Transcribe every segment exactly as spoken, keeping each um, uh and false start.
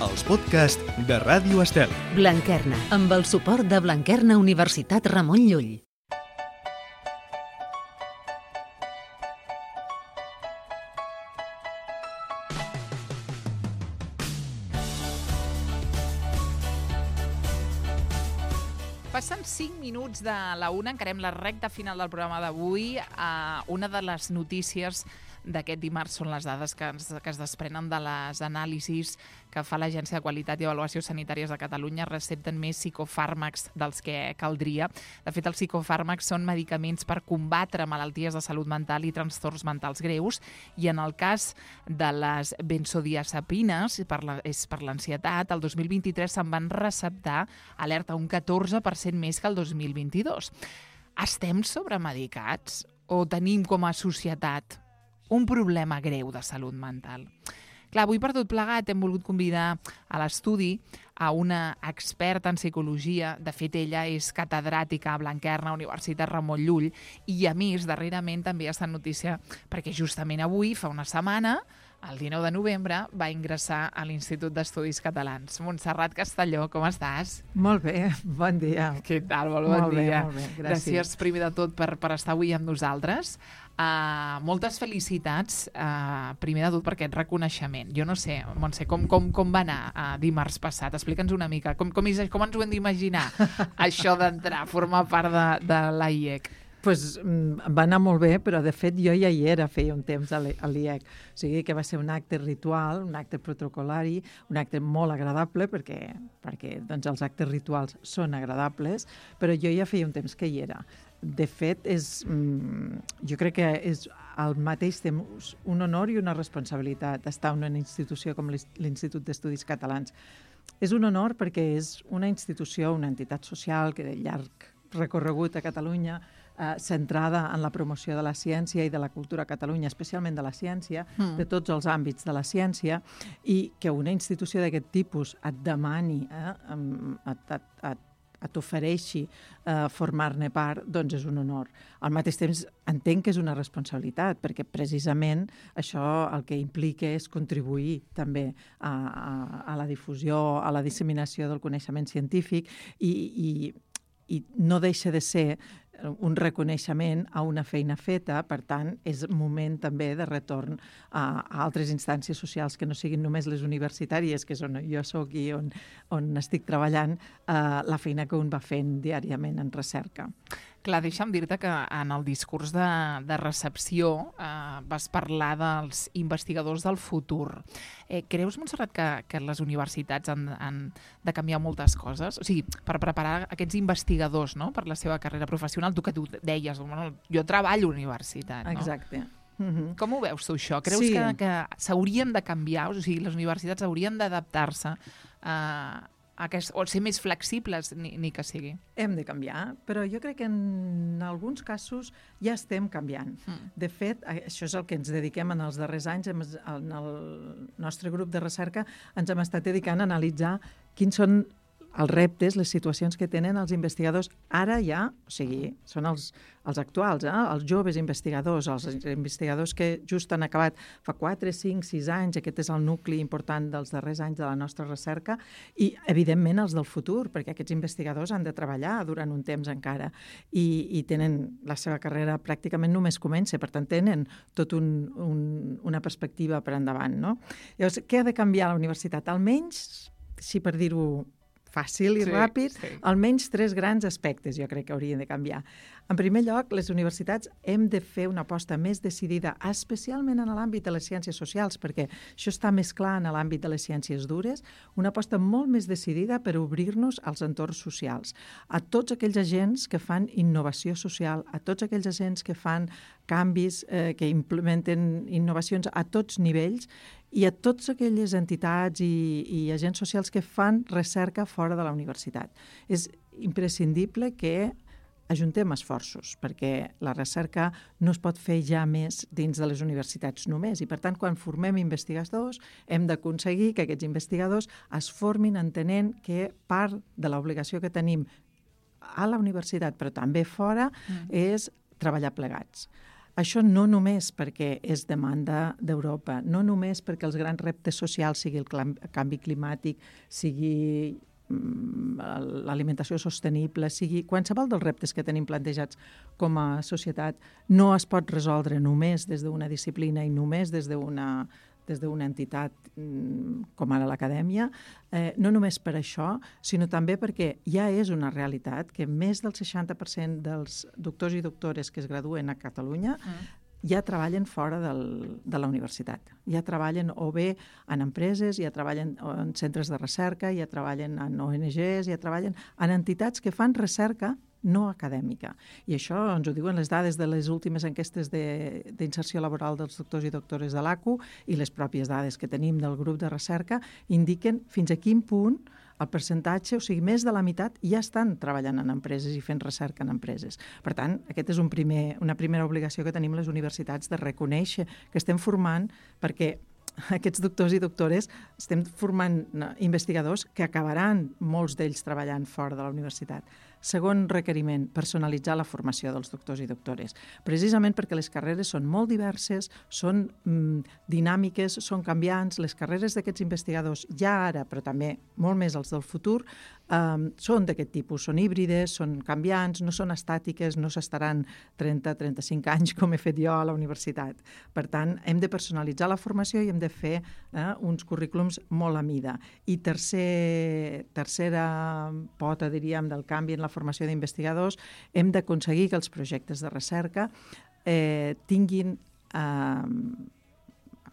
els podcasts de Ràdio Estel. Blanquerna, amb el suport de Blanquerna Universitat Ramon Llull. Passen cinc minuts de la una, encarem la recta final del programa d'avui. Uh, una de les notícies d'aquest dimarts són les dades que, ens, que es desprenen de les anàlisis que fa l'Agència de Qualitat i Avaluació Sanitàries de Catalunya. Recepten més psicofàrmacs dels que caldria. De fet, els psicofàrmacs són medicaments per combatre malalties de salut mental i trastorns mentals greus, i en el cas de les benzodiazepines, per la, és per l'ansietat, el dos mil vint-i-tres se'n van receptar, alerta, un catorze per cent més que el dos mil vint-i-dos. Estem sobremedicats o tenim com a societat un problema greu de salut mental? Clar, avui per tot plegat hem volgut convidar a l'estudi a una experta en psicologia. De fet, ella és catedràtica a Blanquerna, Universitat Ramon Llull, i a més, darrerament també ha estat notícia perquè justament avui, fa una setmana, el dinou de novembre, va ingressar a l'Institut d'Estudis Catalans. Montserrat Castelló, com estàs? Molt bé, bon dia. Què tal? Molt bon molt dia. Bé, molt bé, gràcies. Gràcies, primer de tot, per, per estar avui amb nosaltres. Uh, moltes felicitats, uh, primer de tot, per aquest reconeixement. Jo no sé, Montse, com, com, com va anar uh, dimarts passat? Explica'ns una mica. Com, com, com ens ho hem d'imaginar, això d'entrar, formar part de, de l'A I E C? Pues, va anar molt bé, però de fet jo ja hi era, feia un temps a l'I E C. O sigui que va ser un acte ritual, un acte protocolari, un acte molt agradable, perquè, perquè doncs, els actes rituals són agradables, però jo ja feia un temps que hi era. De fet, és, jo crec que és al mateix temps un honor i una responsabilitat estar en una institució com l'Institut d'Estudis Catalans. És un honor perquè és una institució, una entitat social que de llarg recorregut a Catalunya, eh, centrada en la promoció de la ciència i de la cultura a Catalunya, especialment de la ciència, mm. de tots els àmbits de la ciència, i que una institució d'aquest tipus et demani, eh, et, et, et et ofereixi eh, formar-ne part, doncs és un honor. Al mateix temps entenc que és una responsabilitat, perquè precisament això el que implica és contribuir també a, a, a la difusió, a la disseminació del coneixement científic, i, i, i no deixa de ser un reconeixement a una feina feta. Per tant, és moment també de retorn a, a altres instàncies socials que no siguin només les universitàries, que és on jo soc i on, on estic treballant, eh, la feina que un va fent diàriament en recerca. Clar, deixa'm dir-te que en el discurs de, de recepció eh, vas parlar dels investigadors del futur. Eh, creus, Montserrat, que, que les universitats han, han de canviar moltes coses? O sigui, per preparar aquests investigadors, no?, per la seva carrera professional, tu que tu deies, bueno, jo treballo a la universitat, no? Exacte. Mm-hmm. Com ho veus tu, això? Creus sí. que, que s'haurien de canviar? O sigui, les universitats haurien d'adaptar-se a... Eh, Aquest, o ser més flexibles, ni, ni que sigui. Hem de canviar, però jo crec que en alguns casos ja estem canviant. Mm. De fet, això és el que ens dediquem en els darrers anys. En el nostre grup de recerca ens hem estat dedicant a analitzar quins són els reptes, les situacions que tenen els investigadors ara ja, o sigui, són els, els actuals, eh? Els joves investigadors, els investigadors que just han acabat fa quatre, cinc, sis anys, aquest és el nucli important dels darrers anys de la nostra recerca, i evidentment els del futur, perquè aquests investigadors han de treballar durant un temps encara, i, i tenen la seva carrera pràcticament només comença, per tant tenen tot un, un, una perspectiva per endavant, no? Llavors, què ha de canviar la universitat? Almenys, si per dir-ho fàcil i sí, ràpid, sí. Almenys tres grans aspectes jo crec que haurien de canviar. En primer lloc, les universitats hem de fer una aposta més decidida, especialment en l'àmbit de les ciències socials, perquè això està més clar en l'àmbit de les ciències dures, una aposta molt més decidida per obrir-nos als entorns socials, a tots aquells agents que fan innovació social, a tots aquells agents que fan canvis, eh, que implementen innovacions a tots nivells, i a totes aquelles entitats i, i agents socials que fan recerca fora de la universitat. És imprescindible que ajuntem esforços, perquè la recerca no es pot fer ja més dins de les universitats només, i per tant, quan formem investigadors, hem d'aconseguir que aquests investigadors es formin entenent que part de l'obligació que tenim a la universitat, però també fora, mm. és treballar plegats. això no només perquè és demanda d'Europa, no només perquè els grans reptes socials sigui el canvi climàtic, sigui l'alimentació sostenible, sigui qualsevol dels reptes que tenim plantejats com a societat, no es pot resoldre només des d'una disciplina i només des d'una des d'una entitat com ara l'acadèmia, eh, no només per això, sinó també perquè ja és una realitat que més del seixanta per cent dels doctors i doctores que es graduen a Catalunya mm. ja treballen fora del, de la universitat. Ja treballen o bé en empreses, ja treballen en centres de recerca, ja treballen en O N Ges, ja treballen en entitats que fan recerca no acadèmica. I això ens ho diuen les dades de les últimes enquestes d'inserció laboral dels doctors i doctores de l'A C U i les pròpies dades que tenim del grup de recerca indiquen fins a quin punt el percentatge, o sigui, més de la meitat ja estan treballant en empreses i fent recerca en empreses. Per tant, aquest és un primer, una primera obligació que tenim les universitats de reconèixer que estem formant perquè aquests doctors i doctores estem formant investigadors que acabaran molts d'ells treballant fora de la universitat. Segon requeriment, personalitzar la formació dels doctors i doctores. Precisament perquè les carreres són molt diverses, són mm, dinàmiques, són canviants. Les carreres d'aquests investigadors ja ara, però també molt més els del futur, eh, són d'aquest tipus, són híbrides, són canviants, no són estàtiques, no s'estaran trenta a trenta-cinc anys com he fet jo a la universitat. Per tant, hem de personalitzar la formació i hem de fer eh, uns currículums molt a mida. I tercer, tercera pota, diríem, del canvi en la formació d'investigadors, hem d'aconseguir que els projectes de recerca eh, tinguin, eh,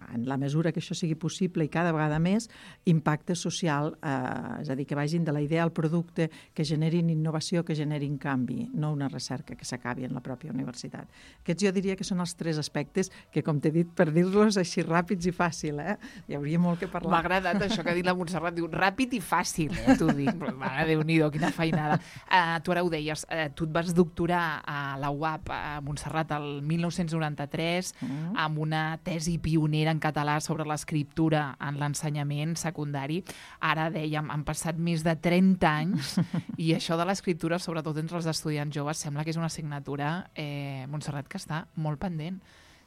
en la mesura que això sigui possible i cada vegada més, impacte social, eh, és a dir, que vagin de la idea al producte, que generin innovació, que generin canvi, no una recerca que s'acabi en la pròpia universitat. Aquests jo diria que són els tres aspectes que, com t'he dit, per dir-los així ràpids i fàcil, eh? Hi hauria molt que parlar. M'ha agradat això que ha dit la Montserrat, diu ràpid i fàcil, eh? T'ho dic, mare, Déu-n'hi-do, quina feinada. Uh, tu ara ho deies, uh, tu et vas doctorar a la U A P a Montserrat el mil nou-cents noranta-tres mm. amb una tesi pionera en català sobre l'escriptura en l'ensenyament secundari. Ara, dèiem, han passat més de trenta anys i això de l'escriptura, sobretot entre els estudiants joves, sembla que és una assignatura, eh, Montserrat, que està molt pendent.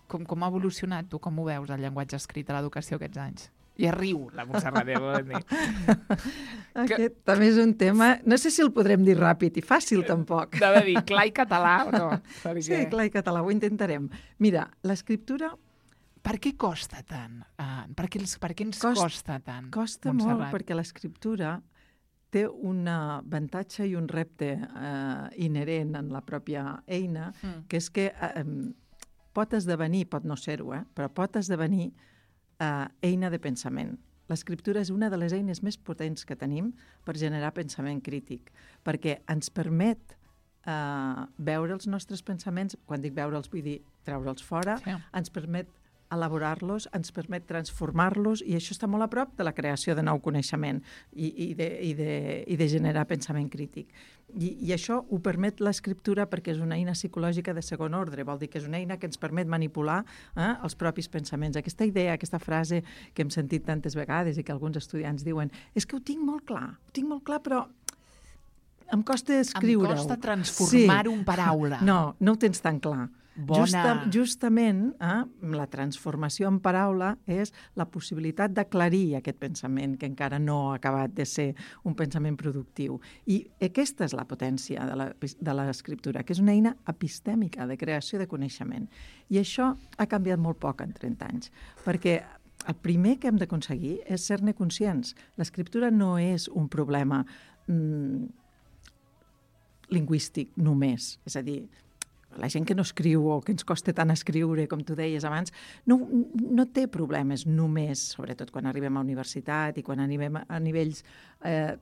Com, com ha evolucionat, tu com ho veus, el llenguatge escrit a l'educació aquests anys? I riu, la Montserrat, ja vol dir. Aquest que... també és un tema... No sé si el podrem dir ràpid i fàcil, tampoc. Deu dir clar i català o no? Perquè... Sí, clar i català, ho intentarem. Mira, l'escriptura... Per què costa tant? Uh, per, què els, per què ens Cost, costa tant, Costa Montserrat? molt, perquè l'escriptura té un avantatge i un repte uh, inherent en la pròpia eina, mm. que és que uh, pot esdevenir, pot no ser-ho, eh, però pot esdevenir uh, eina de pensament. L'escriptura és una de les eines més potents que tenim per generar pensament crític, perquè ens permet uh, veure els nostres pensaments, quan dic veure'ls vull dir treure'ls fora, sí. ens permet elaborar-los, ens permet transformar-los i això està molt a prop de la creació de nou coneixement i, i, de, i, de, i de generar pensament crític. I, I això ho permet l'escriptura perquè és una eina psicològica de segon ordre, vol dir que és una eina que ens permet manipular eh, els propis pensaments. Aquesta idea, aquesta frase que hem sentit tantes vegades i que alguns estudiants diuen és que ho tinc molt clar, ho tinc molt clar, però em costa escriure-ho. Em costa transformar-ho sí. en paraula. No, no ho tens tan clar. Justa, justament, eh, la transformació en paraula és la possibilitat d'aclarir aquest pensament que encara no ha acabat de ser un pensament productiu. I aquesta és la potència de l'escriptura, que és una eina epistèmica de creació de coneixement. I això ha canviat molt poc en trenta anys, perquè el primer que hem d'aconseguir és ser-ne conscients. L'escriptura no és un problema mm, lingüístic només, és a dir, la gent que no escriu o que ens costa tant escriure, com tu deies abans, no, no té problemes només, sobretot quan arribem a universitat i quan arribem a nivells eh,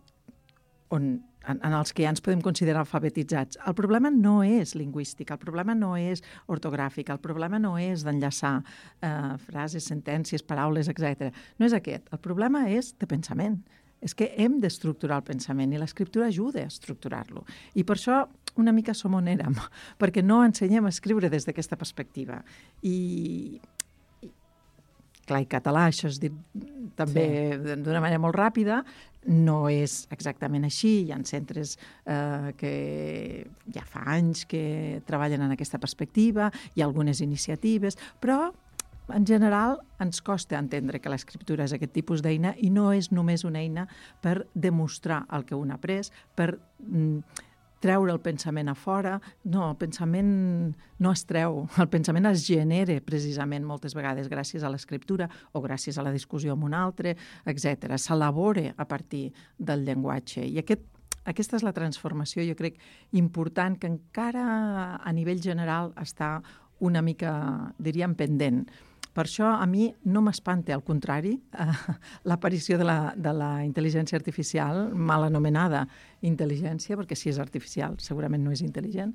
on, en, en els que ja ens podem considerar alfabetitzats. El problema no és lingüístic, el problema no és ortogràfic, el problema no és d'enllaçar eh, frases, sentències, paraules, etcètera. No és aquest. El problema és de pensament. És que hem d'estructurar el pensament i l'escriptura ajuda a estructurar-lo. I per això una mica som on érem, perquè no ensenyem a escriure des d'aquesta perspectiva. I, clar, i català, això és dit també sí. d'una manera molt ràpida, no és exactament així. Hi ha centres eh, que ja fa anys que treballen en aquesta perspectiva, hi ha algunes iniciatives, però en general ens costa entendre que l'escriptura és aquest tipus d'eina i no és només una eina per demostrar el que un ha après, per mm, treure el pensament a fora. No, el pensament no es treu, el pensament es genera precisament moltes vegades gràcies a l'escriptura o gràcies a la discussió amb un altre, etcètera. S'elabora a partir del llenguatge. I aquest, aquesta és la transformació, jo crec, important, que encara a nivell general està una mica, diríem, pendent. Per això a mi no m'espanta, al contrari, eh, l'aparició de la, de la intel·ligència artificial, mal anomenada intel·ligència, perquè si és artificial segurament no és intel·ligent,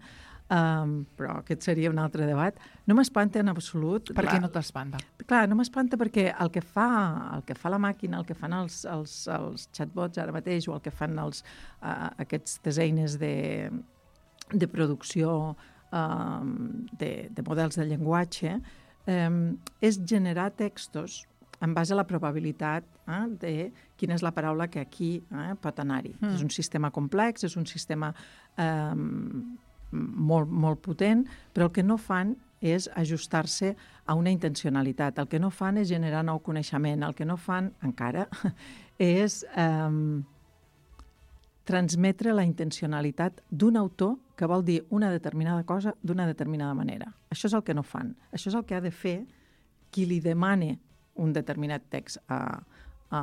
um, però aquest seria un altre debat. No m'espanta en absolut. Per què no t'espanta? Clar, no m'espanta perquè el que fa, el que fa la màquina, el que fan els, els, els chatbots ara mateix, o el que fan els, uh, aquestes eines de, de producció um, de, de models de llenguatge, Um, és generar textos en base a la probabilitat eh, de quina és la paraula que aquí eh, pot anar-hi. Mm. És un sistema complex, és un sistema um, molt, molt potent, però el que no fan és ajustar-se a una intencionalitat. El que no fan és generar nou coneixement. El que no fan, encara, és um, transmetre la intencionalitat d'un autor que vol dir una determinada cosa d'una determinada manera. Això és el que no fan. Això és el que ha de fer qui li demane un determinat text a, a,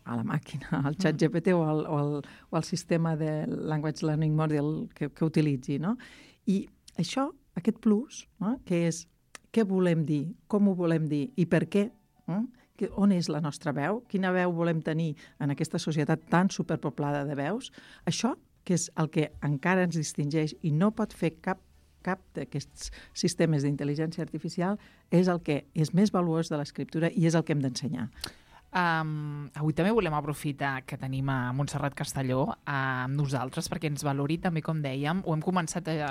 a la màquina, al xat G P T o al, o al, o al sistema de Language Learning Model que, que utilitzi, no? I això, aquest plus, no? Que és què volem dir, com ho volem dir i per què, no? On és la nostra veu, quina veu volem tenir en aquesta societat tan superpoblada de veus, això, que és el que encara ens distingeix i no pot fer cap, cap d'aquests sistemes d'intel·ligència artificial, és el que és més valuós de l'escriptura i és el que hem d'ensenyar. Um, avui també volem aprofitar que tenim a Montserrat Castelló uh, amb nosaltres perquè ens valori també, com dèiem, ho hem començat a,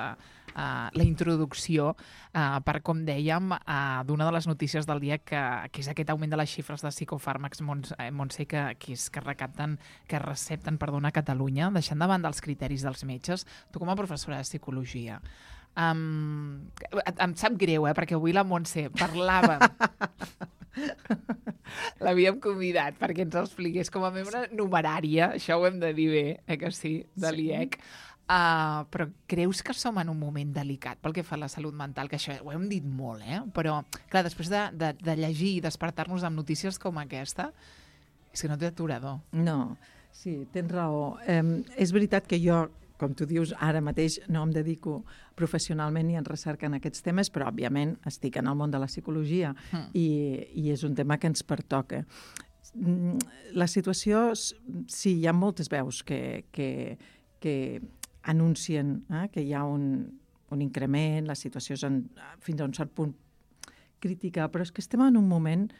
a la introducció uh, per, com dèiem, uh, d'una de les notícies del dia que, que és aquest augment de les xifres de psicofàrmacs, Montse, que, que, és, que recapten, que recepten, perdona, a Catalunya, deixant de banda els criteris dels metges. Tu com a professora de psicologia, um, em sap greu, eh, perquè avui la Montse parlava... L'havíem convidat perquè ens expliqués com a membre numerària, això ho hem de dir bé, eh, que sí, de l'I E C. Uh, però creus que som en un moment delicat pel que fa a la salut mental? Que això ho hem dit molt, eh? Però, clar, després de, de, de llegir i despertar-nos amb notícies com aquesta, és que no té aturador. No, sí, tens raó. Um, és veritat que jo, com tu dius, ara mateix no em dedico professionalment ni en recerca en aquests temes, però, òbviament, estic en el món de la psicologia mm. i, i és un tema que ens pertoca. La situació, sí, hi ha moltes veus que, que, que anuncien eh, que hi ha un, un increment, la situació és en, fins a un cert punt crítica, però és que estem en un moment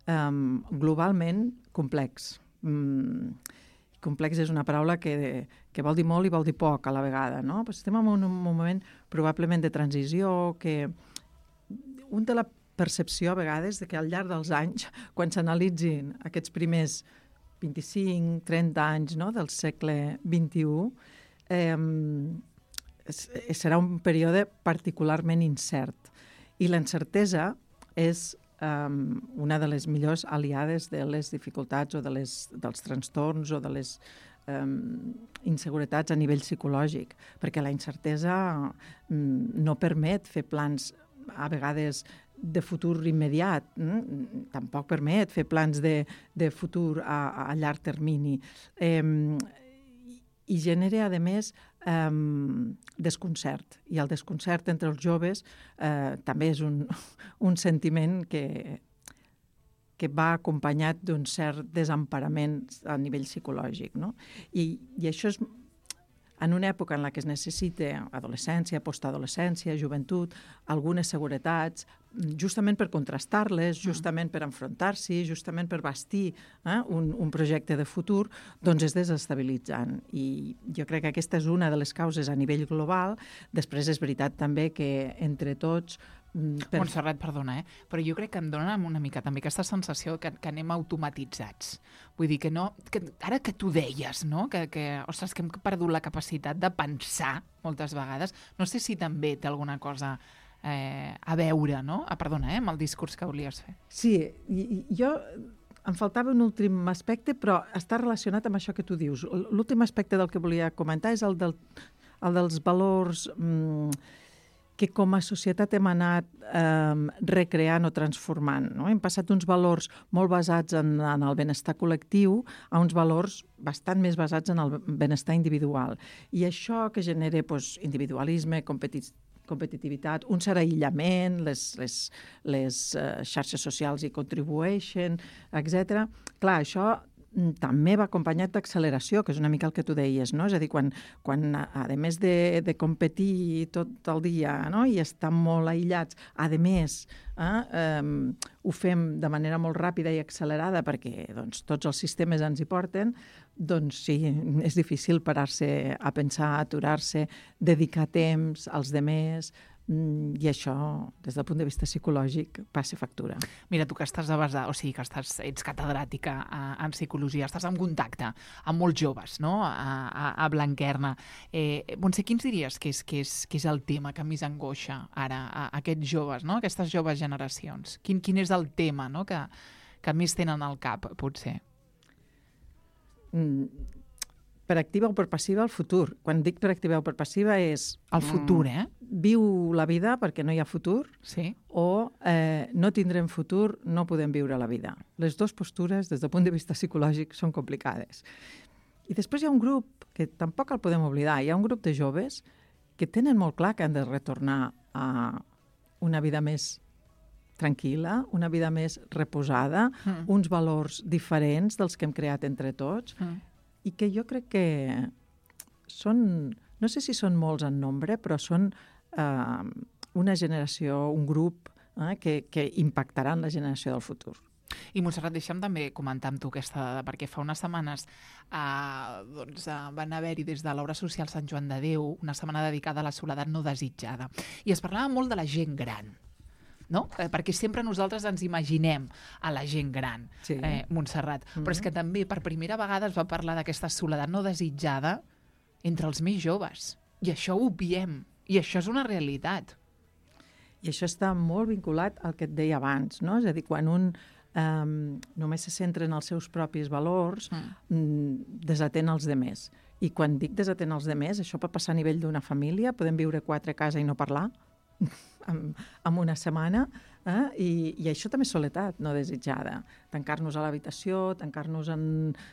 um, globalment complex. Mm, complex és una paraula que, que vol dir molt i vol dir poc a la vegada, no? Però estem en un, un moment probablement de transició, que un té la percepció a vegades de que al llarg dels anys, quan s'analitzin aquests primers vint-i-cinc trenta anys, no?, del segle vint-i-u, eh, serà un període particularment incert. I l'incertesa és Um, una de les millors aliades de les dificultats o de les, dels trastorns o de les um, inseguretats a nivell psicològic, perquè la incertesa um, no permet fer plans a vegades de futur immediat, mm? Tampoc permet fer plans de, de futur a, a llarg termini. Um, I genera, a més, um, desconcert. I el desconcert entre els joves eh, també és un, un sentiment que, que va acompanyat d'un cert desemparament a nivell psicològic, no? I, i això és en una època en la que es necessita adolescència, postadolescència, joventut, algunes seguretats, justament per contrastar-les, justament per enfrontar-s'hi, justament per bastir eh, un, un projecte de futur, doncs és desestabilitzant. I jo crec que aquesta és una de les causes a nivell global. Després és veritat també que entre tots Per... Montserrat, perdona, eh? però jo crec que em dona una mica també aquesta sensació que, que anem automatitzats. Vull dir que no... Que, ara que tu deies, no? Que, que, ostres, que hem perdut la capacitat de pensar moltes vegades. No sé si també té alguna cosa eh, a veure, no? Ah, perdona, eh? amb el discurs que volies fer. Sí, i, i jo... Em faltava un últim aspecte, però està relacionat amb això que tu dius. L'últim aspecte del que volia comentar és el, del, el dels valors mmm, que com a societat hem anat eh, recreant o transformant. No? Hem passat d'uns valors molt basats en, en el benestar col·lectiu a uns valors bastant més basats en el benestar individual. I això que genera doncs, individualisme, competitivitat, competitivitat, un cert aïllament, les, les, les uh, xarxes socials hi contribueixen, etcètera. Clar, això també va acompanyat d'acceleració, que és una mica el que tu deies, no? És a dir, quan, quan a més de, de competir tot el dia, no? I estar molt aïllats, a més, eh, um, ho fem de manera molt ràpida i accelerada perquè doncs, tots els sistemes ens hi porten, doncs sí, és difícil parar-se a pensar, aturar-se, dedicar temps als demés, i això, des del punt de vista psicològic, passa factura. Mira, tu que estàs a base, o sigui, que estàs, ets catedràtica en psicologia, estàs en contacte amb molts joves, no?, a, a, a Blanquerna. Eh, Montse, quins diries que és, que, és, que és el tema que més angoixa ara a, a aquests joves, no?, aquestes joves generacions? Quin, quin és el tema, no?, que, que més tenen al cap, potser? Mm. Per activa o per passiva, el futur. Quan dic per activa o per passiva és... El futur, eh? Viu la vida perquè no hi ha futur, sí. o eh, no tindrem futur, no podem viure la vida. Les dues postures, des del punt de vista psicològic, són complicades. I després hi ha un grup, que tampoc el podem oblidar, hi ha un grup de joves que tenen molt clar que han de retornar a una vida més tranquil·la, una vida més reposada, mm. uns valors diferents dels que hem creat entre tots, mm. i que jo crec que són, no sé si són molts en nombre, però són eh, una generació, un grup eh, que, que impactaran la generació del futur. I Montserrat, deixa'm també comentar amb tu aquesta dada, perquè fa unes setmanes eh, doncs, eh, van haver-hi des de l'Obra Social Sant Joan de Déu una setmana dedicada a la soledat no desitjada. I es parlava molt de la gent gran, no? Eh, perquè sempre nosaltres ens imaginem a la gent gran, sí. eh, Montserrat. Mm-hmm. Però és que també per primera vegada es va parlar d'aquesta soledat no desitjada entre els més joves. I això ho obviem. I això és una realitat. I això està molt vinculat al que et deia abans, no? És a dir, quan un um, només se centra en els seus propis valors, mm. desatén els demés. I quan dic desatén els demés, això pot passar a nivell d'una família, podem viure quatre a casa i no parlar, en, en una setmana, eh? I, i això també és soledat no desitjada. Tancar-nos a l'habitació, tancar-nos en,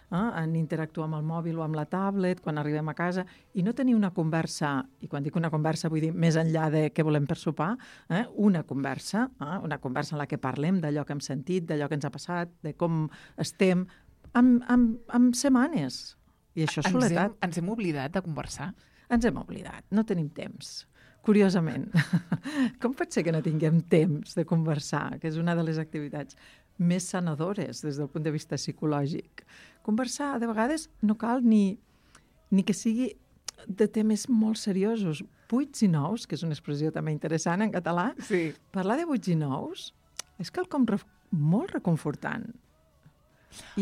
eh? en interactuar amb el mòbil o amb la tablet quan arribem a casa i no tenir una conversa, i quan dic una conversa vull dir més enllà de què volem per sopar, eh? una conversa, eh? una conversa en la que parlem d'allò que hem sentit, d'allò que ens ha passat, de com estem, amb, amb, amb setmanes. I això és soledat. Ens hem, ens hem oblidat de conversar? Ens hem oblidat, no tenim temps. Curiosament. Com pot ser que no tinguem temps de conversar, que és una de les activitats més sanadores des del punt de vista psicològic? Conversar, de vegades, no cal ni, ni que sigui de temes molt seriosos. Buits i nous, que és una expressió també interessant en català, sí. Parlar de buits i nous és quelcom re- molt reconfortant.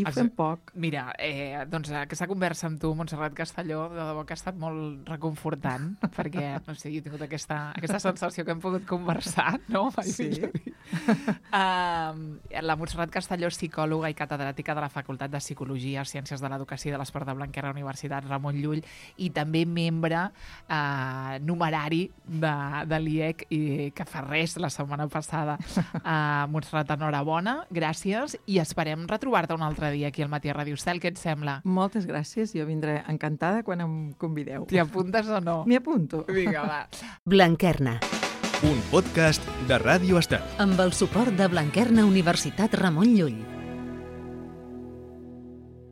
I ho fem poc. Mira, eh, doncs aquesta conversa amb tu, Montserrat Castelló, de debò que ha estat molt reconfortant, perquè, no sé, jo he tingut aquesta, aquesta sensació que hem pogut conversar, no? Sí. Uh, la Montserrat Castelló és psicòloga i catedràtica de la Facultat de Psicologia, Ciències de l'Educació i de l'Esport de Blanquerna, Universitat Ramon Llull, i també membre uh, numerari de, de l'I E C, i que fa res la setmana passada. Uh, Montserrat, enhorabona, gràcies, i esperem retrobar-te un altre dia aquí al Matí a Ràdio Estel. Què et sembla? Moltes gràcies, jo vindré encantada quan em convideu. T'hi apuntes o no? M'hi apunto. Vinga, va. Blanquerna. Un podcast de Ràdio Estel. Amb el suport de Blanquerna Universitat Ramon Llull.